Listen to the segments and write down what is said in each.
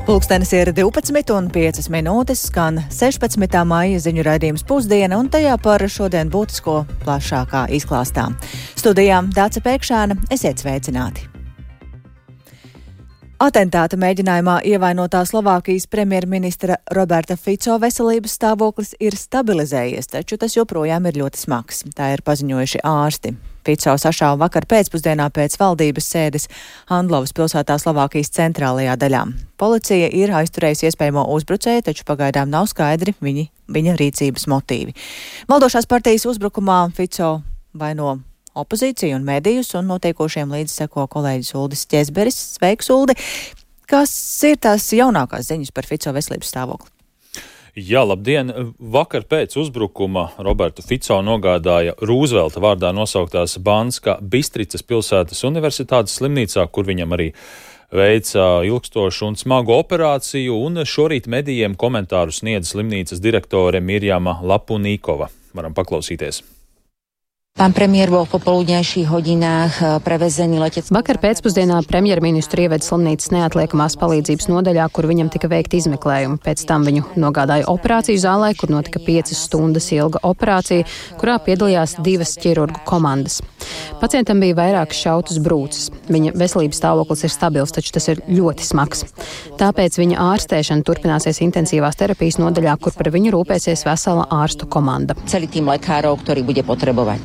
Pulkstenis ir 12:05, skan 16. maija ziņu raidījums Pusdiena, un tajā par šodien būtisko plašākā izklāstā. Studijā Dāce Pēkšēna, esiet sveicināti! Atentāta mēģinājumā ievainotā Slovākijas premjerministra Roberta Fico veselības stāvoklis ir stabilizējies, taču tas joprojām ir ļoti smags. Tā ir paziņojuši ārsti. Fico sašāva vakar pēcpusdienā pēc valdības sēdes Handlovas pilsētā Slovākijas centrālajā daļā. Policija ir aizturējusi iespējamo uzbrucēju, taču pagaidām nav skaidri viņa rīcības motīvi. Valdošās partijas uzbrukumā Fico vaino opozīciju un medijus, un notiekošiem līdz seko kolēģis Uldis Ķezberis. Sveiks, Uldi! Kas ir tās jaunākās ziņas par Fico veselības stāvokli? Jā, labdien! Vakar pēc uzbrukuma Robertu Fico nogādāja Rūzvelta vārdā nosauktās Banska Bistricas pilsētas universitātes slimnīcā, kur viņam arī veica ilgstošu un smagu operāciju, un šorīt medijiem komentāru sniedz slimnīcas direktore Mirjama Lapunīkova. Varam paklausīties. Pán premiér bol v popoludňajších hodinách prevezený leteckým. Vakar pēcpusdienā premjerministru ieveda slimnīcas neatliekamās palīdzības nodaļā, kur viņam tika veikti izmeklējumi. Pēc tam viņu nogādāja operāciju zālē, kur notika 5 stundas ilga operācija, kurā piedalījās 2 ķirurgu komandas. Pacientam bija vairākas šautas brūces. Viņa veselības stāvoklis ir stabils, taču tas ir ļoti smags. Tāpēc viņa ārstēšana turpināsies intensīvās terapijas nodaļā, kur par viņu rūpēsies vesela ārstu komanda. Celý tým lekárov, ktorý bude potrebovať.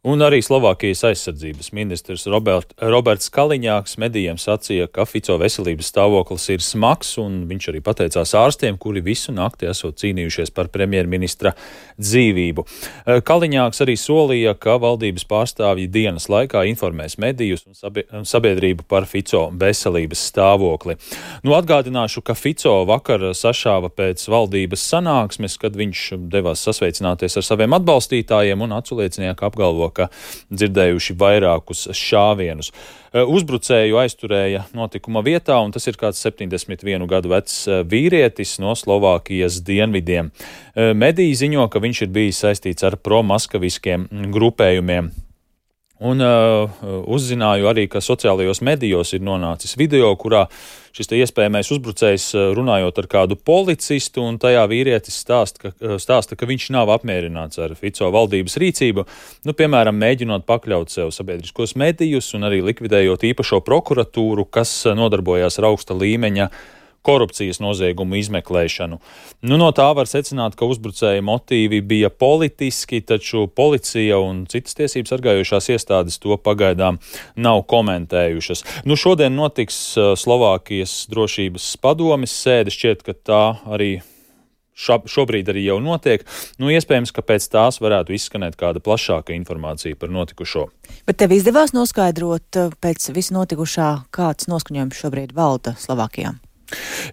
Un arī Slovākijas aizsardzības ministrs Roberts Kaliņāks medijiem sacīja, ka Fico veselības stāvoklis ir smags, un viņš arī pateicās ārstiem, kuri visu nakti esot cīnījušies par premjerministra dzīvību. Kaliņāks arī solīja, ka valdības pārstāvji dienas laikā informēs medijus un sabiedrību par Fico veselības stāvokli. Atgādināšu, ka Fico vakar sašāva pēc valdības sanāksmes, kad viņš devās sasveicināties ar saviem atbalstītājiem, un aculiecinieki apgalvo, ka dzirdējuši vairākus šāvienus. Uzbrucēju aizturēja notikuma vietā, un tas ir kāds 71 gadu vecs vīrietis no Slovākijas dienvidiem. Mediji ziņo, ka viņš ir bijis saistīts ar promaskaviskiem grupējumiem. Un uzzināju arī, ka sociālajos medijos ir nonācis video, kurā šis iespējamais uzbrucējs runājot ar kādu policistu, un tajā vīrietis stāsta, ka viņš nav apmierināts ar Fico valdības rīcību, piemēram, mēģinot pakļaut sev sabiedriskos medijus un arī likvidējot īpašo prokuratūru, kas nodarbojās ar augsta līmeņa korupcijas noziegumu izmeklēšanu. No tā var secināt, ka uzbrucēja motīvi bija politiski, taču policija un citas tiesības sargājošās iestādes to pagaidām nav komentējušas. Šodien notiks Slovākijas drošības padomes sēde, šķiet, ka tā arī šobrīd arī jau notiek. Iespējams, ka pēc tās varētu izskanēt kāda plašāka informācija par notikušo. Bet tev izdevās noskaidrot pēc visu notikušā, kāds noskaņojums šobrīd valda Slovākijā?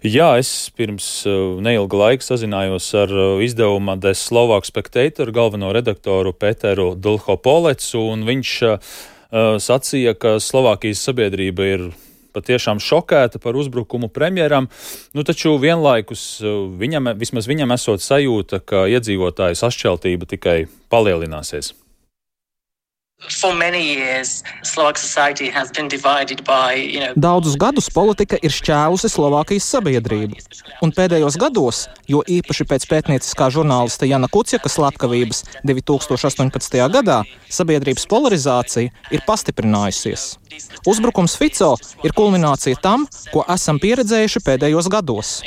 Jā, es pirms neilga laika sazinājos ar izdevuma The Slovak Spectator galveno redaktoru Peteru Dlhopolecu, un viņš sacīja, ka Slovākijas sabiedrība ir patiešām šokēta par uzbrukumu premjeram, taču vienlaikus vismaz viņam esot sajūta, ka iedzīvotāju sašķeltība tikai palielināsies. Daudzus gadus politika ir šķēlusi Slovākijas sabiedrību, un pēdējos gados, jo īpaši pēc pētnieciskā žurnālista Jana Kuciaka slepkavības 2018. gadā, sabiedrības polarizācija ir pastiprinājusies. Uzbrukums Fico ir kulminācija tam, ko esam pieredzējuši pēdējos gados.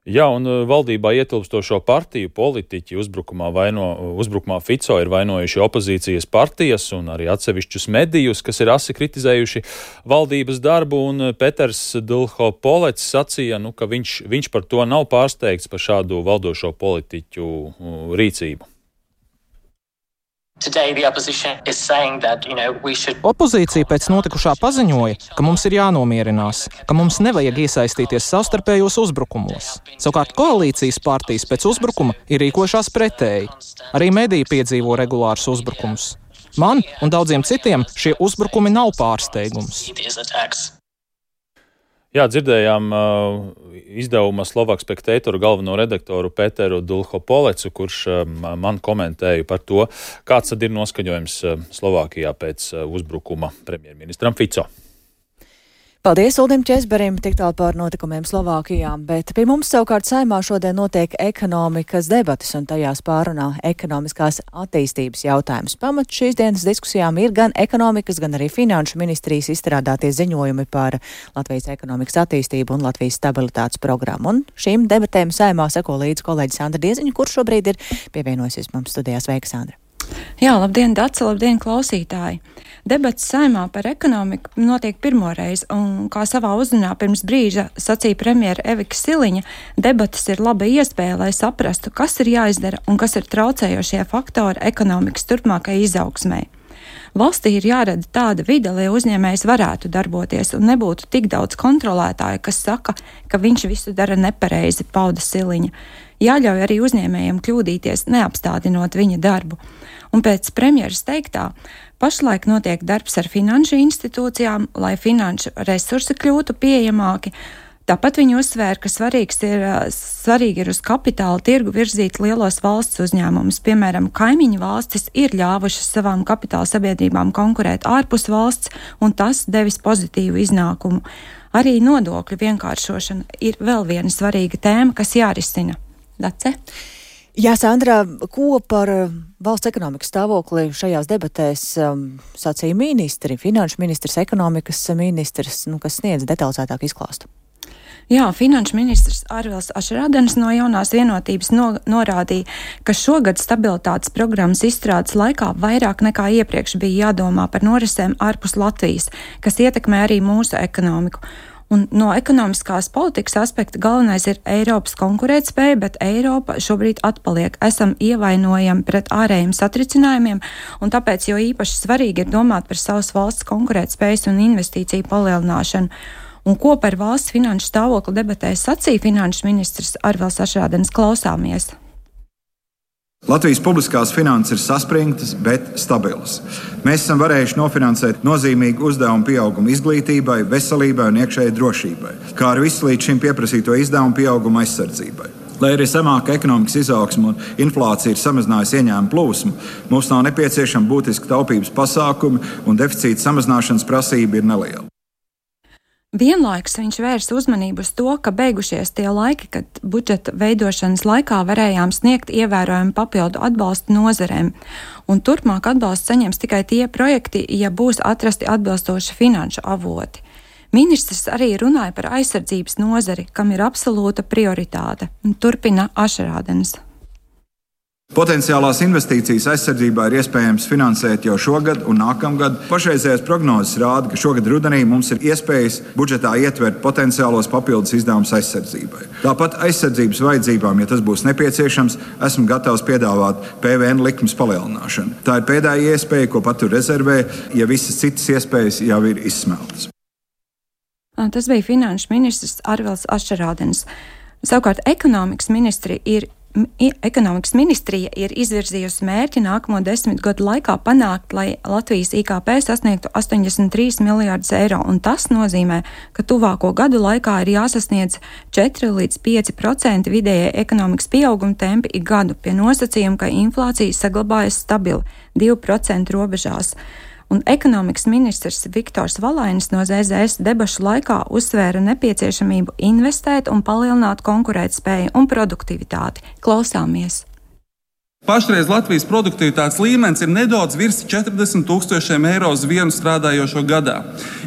Jā, un valdībā ietilpstošo partiju politiķi uzbrukumā Fico ir vainojuši opozīcijas partijas un arī atsevišķus medijus, kas ir asi kritizējuši valdības darbu, un Peters Dlhopolecs sacīja, ka viņš par to nav pārsteigts par šādu valdošo politiķu rīcību. Opozīcija pēc notikušā paziņoja, ka mums ir jānomierinās, ka mums nevajag iesaistīties savstarpējos uzbrukumos. Savukārt koalīcijas partijas pēc uzbrukuma ir rīkojušās pretēji. Arī mediji piedzīvo regulārus uzbrukumus. Man un daudziem citiem šie uzbrukumi nav pārsteigums. Jā, dzirdējām izdevuma Slovak Spectator galveno redaktoru Peteru Dlhopolecu, kurš man komentēja par to, kāds tad ir noskaņojums Slovākijā pēc uzbrukuma premjerministram Fico. Paldies Uldim Česberim tik tālu par notikumiem Slovākijā, bet pie mums savukārt Saeimā šodien notiek ekonomikas debatas un tajās pārunā ekonomiskās attīstības jautājums. Pamats šīs dienas diskusijām ir gan ekonomikas, gan arī finanšu ministrijas izstrādātie ziņojumi par Latvijas ekonomikas attīstību un Latvijas stabilitātes programmu. Un šīm debatēm Saeimā seko līdz kolēģis Sandra Dieziņa, kurš šobrīd ir pievienojusies mums studijā. Sveika, Sandra! Jā, labdien, Dace, labdien, klausītāji! Debats Saeimā par ekonomiku notiek pirmoreiz, un, kā savā uzrunā pirms brīža sacīja premjera Evika Siliņa, debatas ir laba iespēja, lai saprastu, kas ir jāizdara un kas ir traucējošie faktori ekonomikas turpmākai izaugsmai. Valstī ir jārada tāda vide, lai uzņēmējs varētu darboties un nebūtu tik daudz kontrolētāju, kas saka, ka viņš visu dara nepareizi, pauda Siliņa. Jāļauj arī uzņēmējiem kļūdīties, neapstādinot viņa darbu. Un pēc premjeras teiktā, pašlaik notiek darbs ar finanšu institūcijām, lai finanšu resursi kļūtu pieejamāki. Tāpat viņi uzsvēra, ka svarīgi ir uz kapitāla tirgu virzīt lielos valsts uzņēmumus. Piemēram, kaimiņu valstis ir ļāvušas savām kapitāla sabiedrībām konkurēt ārpus valsts, un tas devis pozitīvu iznākumu. Arī nodokļu vienkāršošana ir vēl viena svarīga tēma, kas jārisina. Dace? Jā, Sandra, ko par valsts ekonomikas stāvokli šajās debatēs sacīja ministri, finanšu ministrs, ekonomikas ministrs, kas sniedz detalizētāku izklāstu? Jā, finanšu ministrs Arvils Ašrādens no Jaunās vienotības norādīja, ka šogad stabilitātes programmas izstrādes laikā vairāk nekā iepriekš bija jādomā par norisēm ārpus Latvijas, kas ietekmē arī mūsu ekonomiku. Un no ekonomiskās politikas aspekta galvenais ir Eiropas konkurētspēja, bet Eiropa šobrīd atpaliek. Esam ievainojami pret ārējiem satricinājumiem, un tāpēc jo īpaši svarīgi ir domāt par savas valsts konkurētspējas un investīciju palielināšanu. Un ko par valsts finanšu stāvokli debatēs sacīja finanšu ministrs Arvils Ašrādens, klausāmies. Latvijas publiskās finanses ir saspringtas, bet stabilas. Mēs esam varējuši nofinansēt nozīmīgu uzdevumu pieaugumu izglītībai, veselībai un iekšējai drošībai, kā arī visu līdz šim pieprasīto izdevumu pieaugumu aizsardzībai. Lai arī zemāka ekonomikas izaugsme un inflācija ir samazinājusi ieņēmumu plūsmu, mums nav nepieciešami būtiski taupības pasākumi un deficīta samazināšanas prasība ir neliela. Vienlaikus viņš vērsa uzmanību uz to, ka beigušies tie laiki, kad budžeta veidošanas laikā varējām sniegt ievērojumu papildu atbalstu nozarēm, un turpmāk atbalstu saņems tikai tie projekti, ja būs atrasti atbilstoši finanšu avoti. Ministrs arī runāja par aizsardzības nozari, kam ir absolūta prioritāte, un turpina Ašrādens. Potenciālās investīcijas aizsardzībā ir iespējams finansēt jau šogad un nākamgad. Pašreizējās prognozes rāda, ka šogad rudenī mums ir iespējas budžetā ietvert potenciālos papildus izdevumus aizsardzībai. Tāpat aizsardzības vajadzībām, ja tas būs nepieciešams, esmu gatavs piedāvāt PVN likmes palielināšanu. Tā ir pēdējā iespēja, ko patur rezervē, ja visas citas iespējas jau ir izsmeltas. Tas bija finanšu ministrs Arvils Ašrādens. Savukārt ekonomikas ministrija ir izvirzījusi mērķi nākamo 10 gadu laikā panākt, lai Latvijas IKP sasniegtu 83 miljārdus eiro, un tas nozīmē, ka tuvāko gadu laikā ir jāsasniedz 4 līdz 5% vidējie ekonomikas pieauguma tempi ik gadu, pie nosacījuma, ka inflācija saglabājas stabili 2% robežās. Un ekonomikas ministrs Viktors Valainis no ZZS debašu laikā uzsvēra nepieciešamību investēt un palielināt konkurētspēju un produktivitāti. Klausāmies! Pašreiz Latvijas produktivitātes līmenis ir nedaudz virs 40,000 eiro uz vienu strādājošo gadā.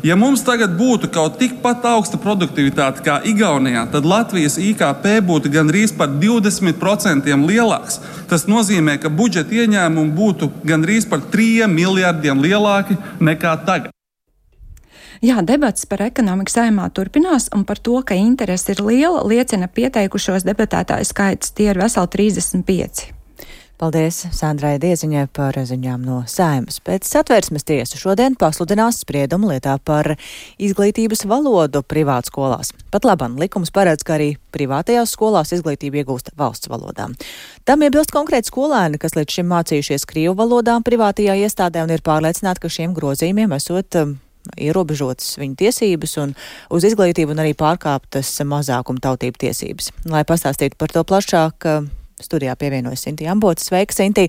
Ja mums tagad būtu kaut tikpat augsta produktivitāte kā Igaunijā, tad Latvijas IKP būtu gandrīz par 20% lielāks. Tas nozīmē, ka budžeta ieņēmumi būtu gandrīz par 3 miljardiem lielāki nekā tagad. Jā, debats par ekonomiku Saeimā turpinās, un par to, ka interese ir liela, liecina pieteikušos debatētāju skaits. Tie ir veseli 35. Paldies Sandrai Dieziņai par ziņām no Saeimas. Pēc Satversmes tiesa šodien pasludinās spriedumu lietā par izglītības valodu privātskolās. Pat labam likums paredz, ka arī privātajās skolās izglītību iegūst valsts valodām. Tam iebilst konkrēti skolēni, kas līdz šim mācījušies krievu valodām privātajā iestādē un ir pārliecināti, ka šiem grozījumiem esot ierobežotas viņu tiesības un uz izglītību un arī pārkāptas mazākuma tautību tiesības. Lai pastāstītu par to plašāk, studijā pievienojas Sintīja Ambote. Sveika, Sintī!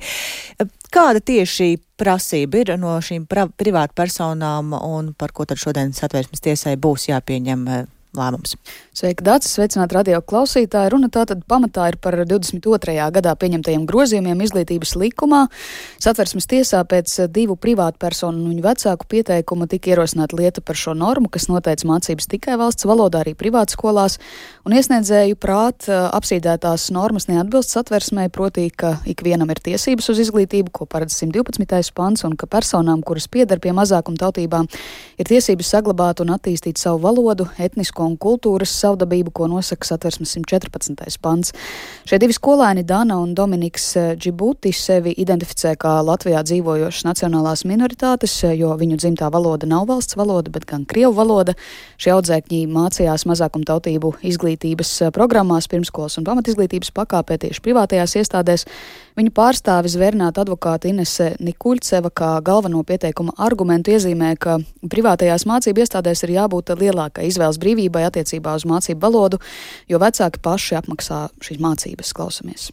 Kāda tieši prasība ir no šīm privātpersonām un par ko tad šodien Satversmes tiesai būs jāpieņem lēmums? Sveiki, Dācis, sveicināt radio klausītāji. Runa tātad pamatā ir par 22. gadā pieņemtajiem grozījumiem izglītības likumā. Satversmes tiesā pēc 2 privātpersonu un viņu vecāku pieteikuma tika ierosināta lieta par šo normu, kas noteica mācības tikai valsts valodā, arī privātskolās, un iesniedzēju prāt apsīdētās normas neatbilst Satversmei, proti, ka ikvienam ir tiesības uz izglītību, ko paredz 112. pants, un ka personām, kuras pieder pie mazākumtautībām, ir tiesības saglabāt un attīstīt savu valodu, etnisko un kultūras savdabību, ko nosaka Satversmes 114. pants. Šie 2 skolēni, Dana un Dominiks Džibuti, sevi identificē kā Latvijā dzīvojošas nacionālās minoritātes, jo viņu dzimtā valoda nav valsts valoda, bet gan krievu valoda. Šie audzēkņi mācījās mazākumtautību izglītības programmās, pirmskolas un pamatizglītības pakāpē tieši privātajās iestādēs. Viņu pārstāvis zvērnāta advokāta Inese Nikuļceva kā galveno pieteikuma argumentu iezīmē, ka privātajās mācību iestādēs ir jābūt lielākai izvēles brīvībai attiecībā uz mācību valodu, jo vecāki paši apmaksā šīs mācības. Klausamies.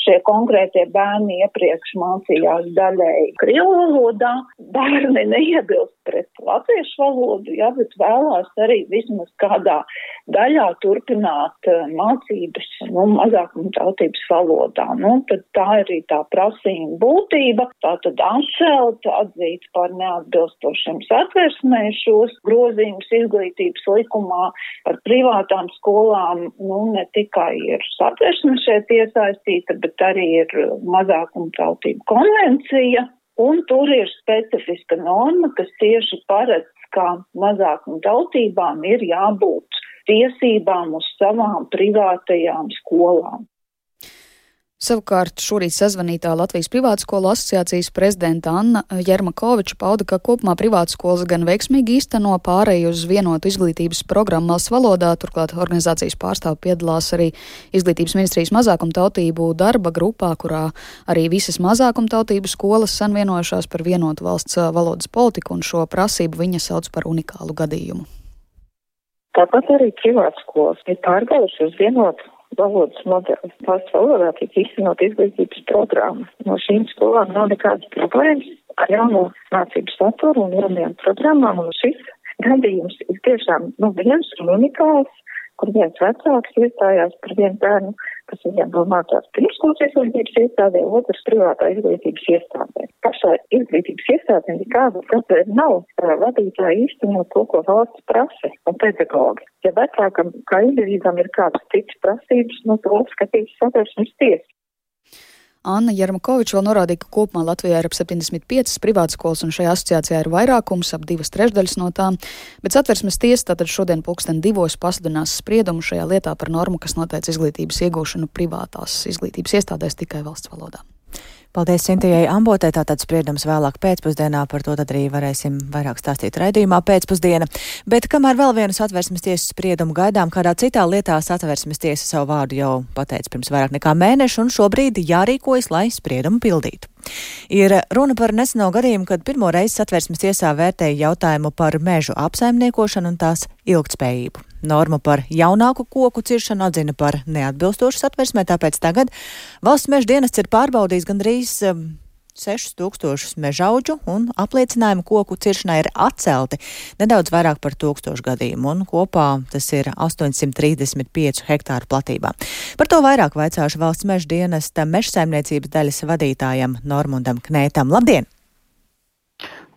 Šie konkrētie bērni iepriekš mācījās daļēji krievu valodā, bērni neiebilst pret latviešu valodu, jā, bet vēlās arī vismaz kādā daļā turpināt mācības, mazākumtautības valodā. Tad tā ir arī tā prasījuma būtība, tā tad atcelt, atzīt par neatbilstošiem Satversmē šos grozījumus izglītības likumā par privātām skolām, ne tikai ir Satversme šeit iesaistīta, bet arī ir mazākumtautību konvencija, un tur ir specifiska norma, kas tieši paredz, ka mazākumtautībām ir jābūt tiesībām uz savām privātajām skolām. Savukārt šorīt sazvanītā Latvijas privātskolu asociācijas prezidenta Anna Jermakoviča pauda, ka kopumā privātskolas gan veiksmīgi īsteno pārēju uz vienotu izglītības programmu valsts valodā, turklāt organizācijas pārstāvi piedalās arī Izglītības ministrijas mazākumtautību darba grupā, kurā arī visas mazākumtautību skolas sanvienojušās par vienotu valsts valodas politiku, un šo prasību viņa sauc par unikālu gadījumu. Tāpat arī privātskolas ir pārgājuši uz vienotu valodas modeli. Valsts valodā tiek īstenot izglītības programma. No šīm skolām nav nekādas problēmas ar jauno mācību saturu un jaunajām programmām, un šis gadījums ir tiešām viens un unikāls, kur viens vecāks iestājās par vienu bērnu, kas viņam vēl mācās pirmskolas izglītības iestādē, otrs privātā izglītības iestādē. Pašā izglītības iestādē nekāda problēma nav vadītāji īstenot to, ko valsts prasa un pedagogi. Ja vecākam kā individam ir kādas citas prasības, to skatīs Satversmes tiesa. Anna Jermakoviča vēl norādīja, ka kopumā Latvijā ir ap 75 privātskolas, un šajā asociācijā ir vairākums, ap 2/3 no tām, bet Satversmes tiesa tātad šodien 2:00 pasludinās spriedumu šajā lietā par normu, kas noteica izglītības iegūšanu privātās izglītības iestādēs tikai valsts valodā. Paldies Sintijai Ambotē, tātad spriedums vēlāk pēcpusdienā, par to tad arī varēsim vairāk stāstīt raidījumā pēcpusdiena. Bet kamēr vēl vienu Satversmes tiesas spriedumu gaidām, kādā citā lietā Satversmes tiesa savu vārdu jau pateica pirms vairāk nekā mēneša, un šobrīd jārīkojas, lai spriedumu pildītu. Ir runa par neseno gadījumu, kad pirmo reizi Satversmes tiesā vērtēja jautājumu par mežu apsaimniekošanu un tās ilgtspējību. Normu par jaunāku koku ciršanu atzina par neatbilstošu Satversmē, tāpēc tagad Valsts meža dienests ir pārbaudījis gandrīz 6000 mežaudžu, un apliecinājumu koku ciršanai ir atcelti nedaudz vairāk par 1000 gadījumu, un kopā tas ir 835 hektāru platībā. Par to vairāk vaicāšu Valsts meža dienesta mežsaimniecības daļas vadītājam Normundam Knētam. Labdien!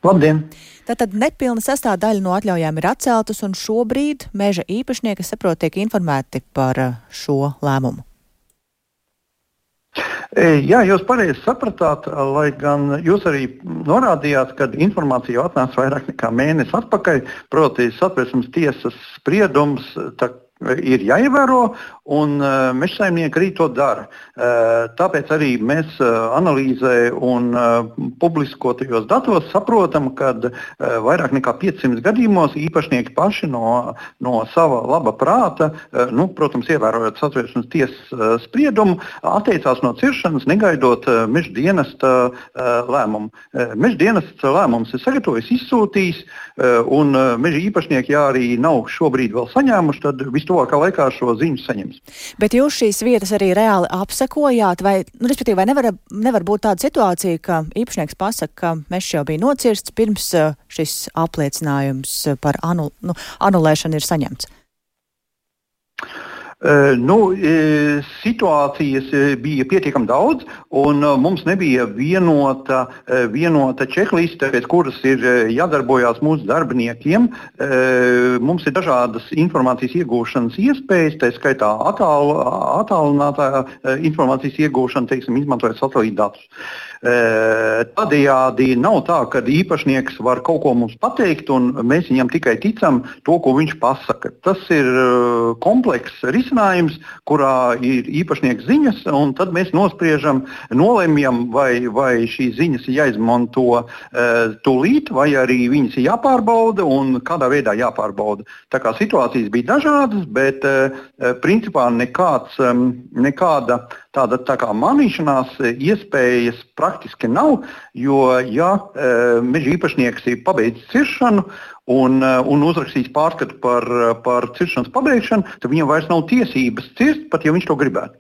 Labdien! Tātad nepilna sastāvdaļa no atļaujām ir atceltas, un šobrīd meža īpašnieki, saprot, tiek informēti par šo lēmumu. Jā, jūs pareizi sapratāt, lai gan jūs arī norādījāt, ka informācija jau atnāca vairāk nekā mēnesi atpakaļ, proti Satversmes tiesas spriedums ir jāievēro, un mežsaimnieki arī to dara. Tāpēc arī mēs analīzē un publiskotajos datos saprotam, ka vairāk nekā 500 gadījumos īpašnieki paši no sava laba prāta, protams, ievērojot Satversmes tiesas spriedumu, atteicās no ciršanas, negaidot meža dienesta lēmumu. Meža dienesta lēmums ir sagatavojis, izsūtījis, un meža īpašnieki, ja arī nav šobrīd vēl saņēmuši, tad vistuvākā laikā šo ziņu saņems. iespējams. Bet jūs šīs vietas arī reāli apsekojāt, vai nevar būt tāda situācija, ka īpašnieks pasaka, ka mežs jau bija nocirsts pirms šis apliecinājums par anulēšanu ir saņemts? Situācijas bija pietiekami daudz, un mums nebija vienota čekliste, pēc kuras ir jādarbojās mūsu darbiniekiem. Mums ir dažādas informācijas iegūšanas iespējas, tā skaitā attālinātā informācijas iegūšana, teiksim, izmantojot satelītdatus. Tādējādi nav tā, ka īpašnieks var kaut ko mums pateikt, un mēs viņam tikai ticam to, ko viņš pasaka. Tas ir komplekss risinājums, kurā ir īpašnieks ziņas, un tad mēs nospriežam, nolemjam, vai šīs ziņas ir jāizmanto tūlīt, vai arī viņas ir jāpārbauda un kādā veidā jāpārbauda. Tā kā situācijas bija dažādas, bet principā nekāda tāda tā kā manīšanās iespējas praktiski nav, jo ja meža īpašnieks ir pabeidzis ciršanu un uzrakstījis pārskatu par ciršanas pabeigšanu, tad viņam vairs nav tiesības cirst, pat ja viņš to gribētu.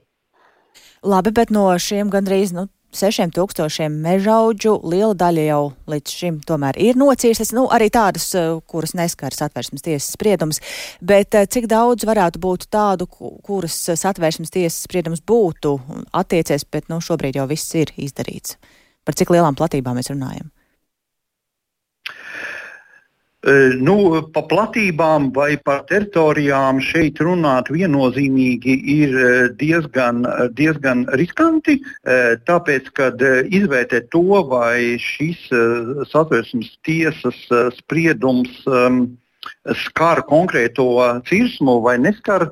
Labi, bet no šiem gandrīz 6,000 mežaudžu liela daļa jau līdz šim tomēr ir nocīrstas, arī tādas, kuras neskar Satversmes tiesas spriedums, bet cik daudz varētu būt tādu, kuras Satversmes tiesas spriedums būtu attiecies, bet šobrīd jau viss ir izdarīts? Par cik lielām platībām mēs runājam? Pa platībām vai par teritorijām šeit runāt viennozīmīgi ir diezgan riskanti, tāpēc, kad izvērtēt to, vai šis Satversmes tiesas spriedums skar konkrēto cirsmu vai neskar,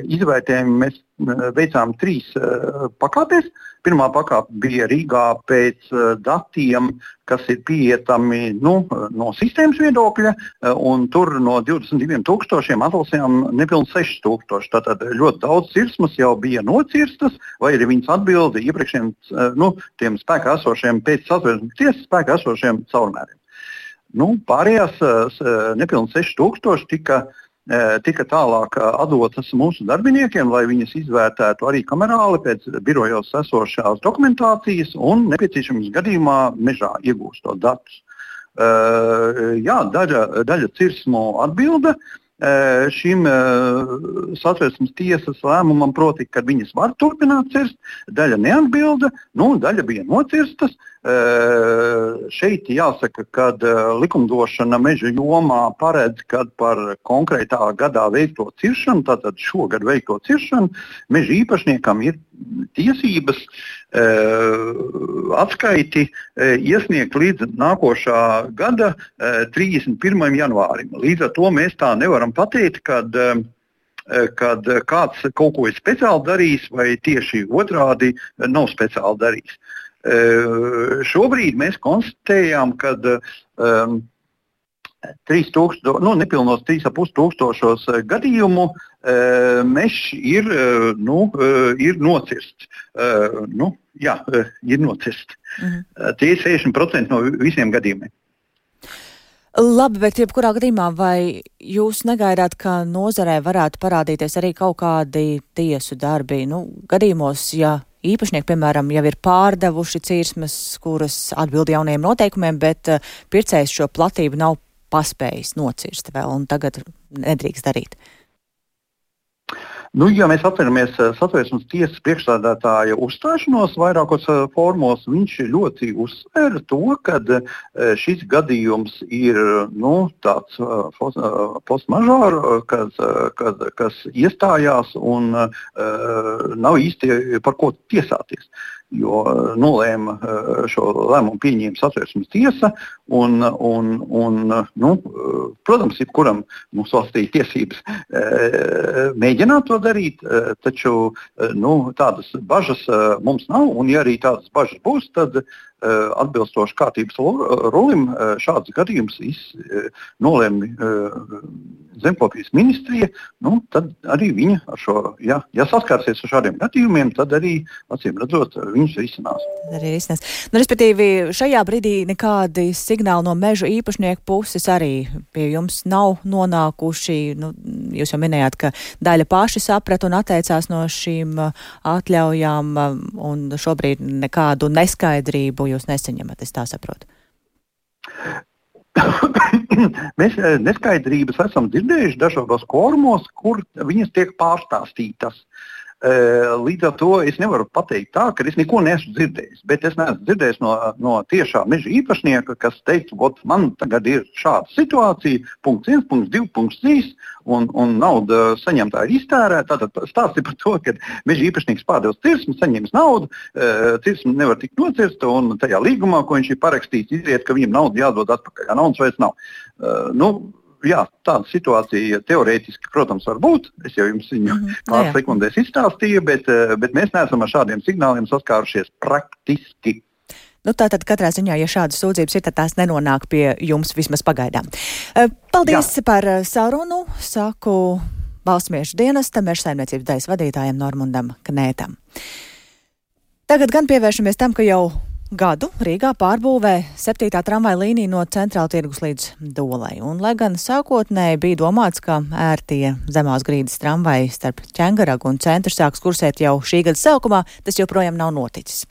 izvērtējumu mēs veicām 3 pakāpēs. Pirmā pakāpe bija Rīgā pēc datiem, kas ir pieejami no sistēmas viedokļa, un tur no 22,000 atlasījām nepilnīgi 6,000. Tātad ļoti daudz cirsmas jau bija nocirstas, vai arī viņas atbilda iepriekšējiem tiem spēkā esošiem, pēc Satversmes tiesas spēkā esošiem caurmēriem. Pārējās nepilnīgi 6,000 tika tālāk atdotas mūsu darbiniekiem, lai viņas izvērtētu arī kamerāli pēc birojos esošās dokumentācijas un nepieciešamības gadījumā mežā iegūstot datus. Daļa cirsmu atbilda šim Satversmes tiesas lēmumam, proti, ka viņas var turpināt cirst, daļa neatbilda, daļa bija nocirstas. Šeit jāsaka, ka likumdošana meža jomā paredz, ka par konkrētā gadā veikto ciršanu, tātad šogad veikto ciršanu, meža īpašniekam ir tiesības atskaiti iesniegt līdz nākošā gada 31. janvārim. Līdz ar to mēs tā nevaram pateikt, kad kāds kaut ko ir speciāli darījis vai tieši otrādi nav speciāli darījis. Šobrīd mēs konstatējām, ka nepilnos 3,500 gadījumu mežs ir nocirsts. Ir nocirsts. Tie ir 60% no visiem gadījumiem. Labi, bet jebkurā gadījumā vai jūs negaidāt, ka nozarē varētu parādīties arī kaut kādi tiesu darbi? Gadījumos, ja īpašnieki, piemēram, jau ir pārdevuši cirsmas, kuras atbild jaunajiem noteikumiem, bet pircējs šo platību nav paspējis nocirst vēl un tagad nedrīkst darīt. Ja mēs atceramies Satversmes tiesas priekšsēdētāja uzstāšanos vairākos formos, viņš ļoti uzsvēra to, ka šis gadījums ir tāds force majeure, kas iestājās un nav īsti par ko tiesāties. Jo nolēma šo lēmumu pieņēma Satversmes tiesa un protams, jebkuram mūsu valstī tiesības mēģināt to darīt, taču tādas bažas mums nav, un ja arī tādas bažas būs, tad atbilstoši kārtības rulim šāds gadījums nolēma Zemkopības ministrija, tad arī viņa ar šo, ja saskārsies ar šādiem gadījumiem, tad arī, acīm redzot, viņus risinās. Respektīvi, šajā brīdī nekādi signāli no mežu īpašnieku puses arī pie jums nav nonākuši. Jūs jau minējāt, ka daļa paši saprata un atteicās no šīm atļaujām, un šobrīd nekādu neskaidrību jūs nesaņemat, es tā saprotu. Mēs neskaidrības esam dzirdējuši dažādos korumos, kur viņas tiek pārstāstītas. Līdz ar to es nevaru pateikt tā, ka es neko neesmu dzirdējis, bet es neesmu dzirdējis no tiešā meža īpašnieka, kas teica, man tagad ir šāda situācija, punkts 1, punkts 2, punkts 3, un nauda saņemtā ir iztērēta. Tātad stāsti par to, ka meža īpašnieks pārdevis cirsmu, saņems naudu, cirsmu nevar tikt nocirsta, un tajā līgumā, ko viņš ir parakstījis, izriet, ka viņam naudu jādod atpakaļ, ja naudas vairs nav. Jā, tāda situācija teorētiski, protams, var būt. Es jau jums viņu pāris sekundēs izstāstīju, bet mēs neesam ar šādiem signāliem saskārušies praktiski. Tātad katrā ziņā, ja šādas sūdzības ir, tad tās nenonāk pie jums vismaz pagaidām. Paldies par sarunu, saku Valsts meža dienesta meža saimniecības daļas vadītājiem Normundam Knētam. Tagad gan pievēršamies tam, ka jau gadu Rīgā pārbūvē 7. tramvaja līnija no Centrāla tirgus līdz Dolai. Un, lai gan sākotnēji bija domāts, ka ērtie zemās grīdas tramvaji starp Ķengaragu un centru sāks kursēt jau šī gada sākumā, tas joprojām nav noticis.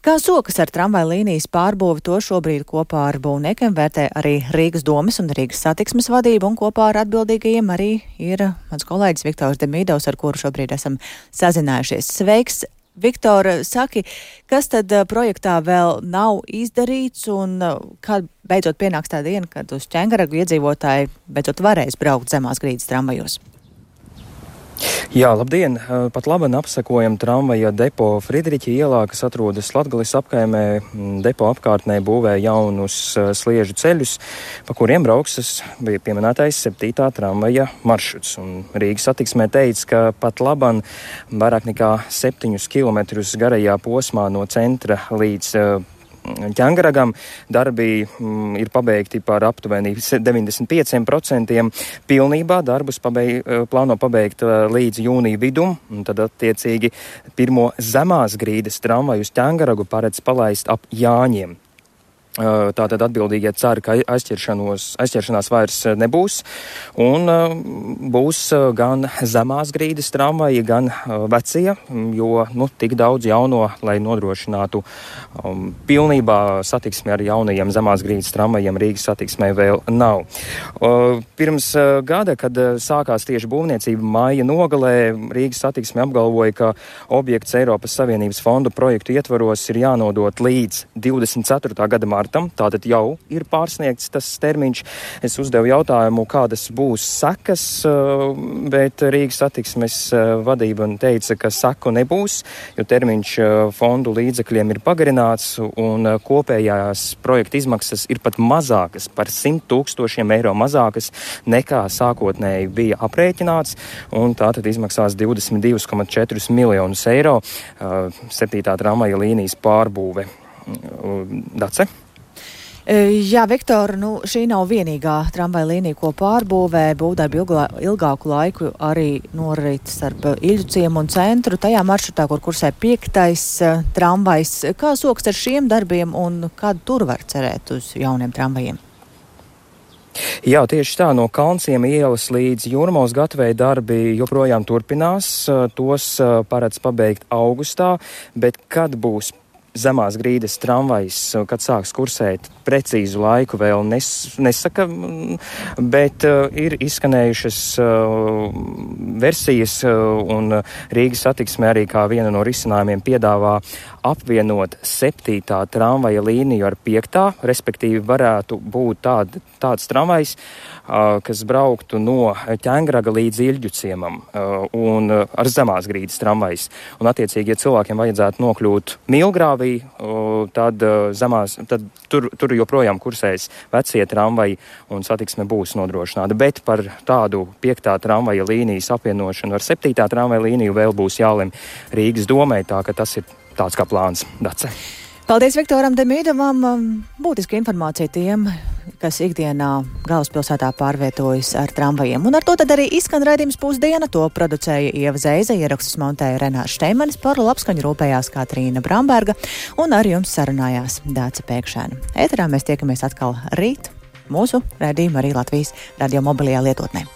Kā sokas ar tramvaja līnijas pārbūvi, to šobrīd kopā ar būvniekiem vērtē arī Rīgas domes un Rīgas satiksmes vadība, un kopā ar atbildīgajiem arī ir mans kolēģis Viktors Demīdovs, ar kuru šobrīd esam sazinājušies. Sveiks! Viktor, saki, kas tad projektā vēl nav izdarīts un kad beidzot pienāks tā diena, kad uz Ķengaragu iedzīvotāji beidzot varēs braukt zemās grīdas tramvajos? Jā, labdien! Pat labi apsekojam tramvaja depo Fridriķa ielā, kas atrodas Latgales apkaimē. Depo apkārtnē būvē jaunus sliežu ceļus, pa kuriem brauks bija pieminētais 7. tramvaja maršruts. Un Rīgas satiksmē teica, ka pat laban vairāk nekā 7 kilometrus garajā posmā no centra līdz Ķengaragam darbi ir pabeigti par aptuveni 95%. Pilnībā darbus plāno pabeigt līdz jūnija vidum, un tad attiecīgi pirmo zemās grīdas tramvaju uz Ķengaragu paredz palaist ap Jāņiem. Tātad atbildīgie cer, ka aizķeršanās vairs nebūs, un būs gan zemās grīdas tramvaji, gan vecie, jo tik daudz jauno, lai nodrošinātu pilnībā satiksmi ar jaunajiem zemās grīdas tramvajiem Rīgas satiksmē vēl nav. Pirms gada, kad sākās tieši būvniecība māja nogalē, Rīgas satiksme apgalvoja, ka objekts Eiropas Savienības fondu projektu ietvaros ir jānodot līdz 24. gada martam. Tātad jau ir pārsniegts tas termiņš. Es uzdevu jautājumu, kādas būs sekas, bet Rīgas satiksmes vadība teica, ka seku nebūs, jo termiņš fondu līdzekļiem ir pagarināts un kopējās projekta izmaksas ir pat mazākas, par 100 000 eiro mazākas nekā sākotnēji bija aprēķināts, un tātad izmaksās 22,4 miljonus eiro 7. tramvaja līnijas pārbūve. Dace? Jā, Viktor, šī nav vienīgā tramvaja līnija, ko pārbūvē. Būvdarbi ilgāku laiku arī norit starp Iļu ciemu un centru. Tajā maršrutā, kur kursē 5. tramvajs. Kā sokas ar šiem darbiem un kādu tur var cerēt uz jauniem tramvajiem? Jā, tieši tā, no Kalnciema ielas līdz Jūrmalas gatavei darbi joprojām turpinās. Tos paredz pabeigt augustā, bet kad būs zemās grīdas tramvajs, kad sāks kursēt, precīzu laiku vēl nesaka, bet ir izskanējušas versijas, un Rīgas satiksme arī kā viena no risinājumiem piedāvā apvienot 7. tramvaja līniju ar 5. respektīvi varētu būt tāds tramvajs, kas brauktu no Ķengaraga līdz Iļģu ciemam, un ar zemās grīdas tramvajs. Un attiecīgi, ja cilvēkiem vajadzētu nokļūt Milgrāvī, tad tur joprojām kursēs vecie tramvaji un satiksme būs nodrošināta. Bet par tādu 5. tramvaja līnijas apvienošanu ar 7. tramvaja līniju vēl būs jālem Rīgas domē, tā ka tas ir tāds kā plāns. Dace. Paldies Viktoram Demīdovam. Būtiska informācija tiem, kas ikdienā galvaspilsētā pārvietojas ar tramvajiem. Un ar to tad arī izskan raidījums Pusdiena. To producēja Ieva Zeize, ierakstus montēja Renārs Šteimanis, par labskaņu rūpējās Katrīna Bramberga un ar jums sarunājās Dāca Pēkšēna. Ēterā mēs tiekamies atkal rīt. Mūsu raidījumu arī Latvijas radio mobilajā lietotnē.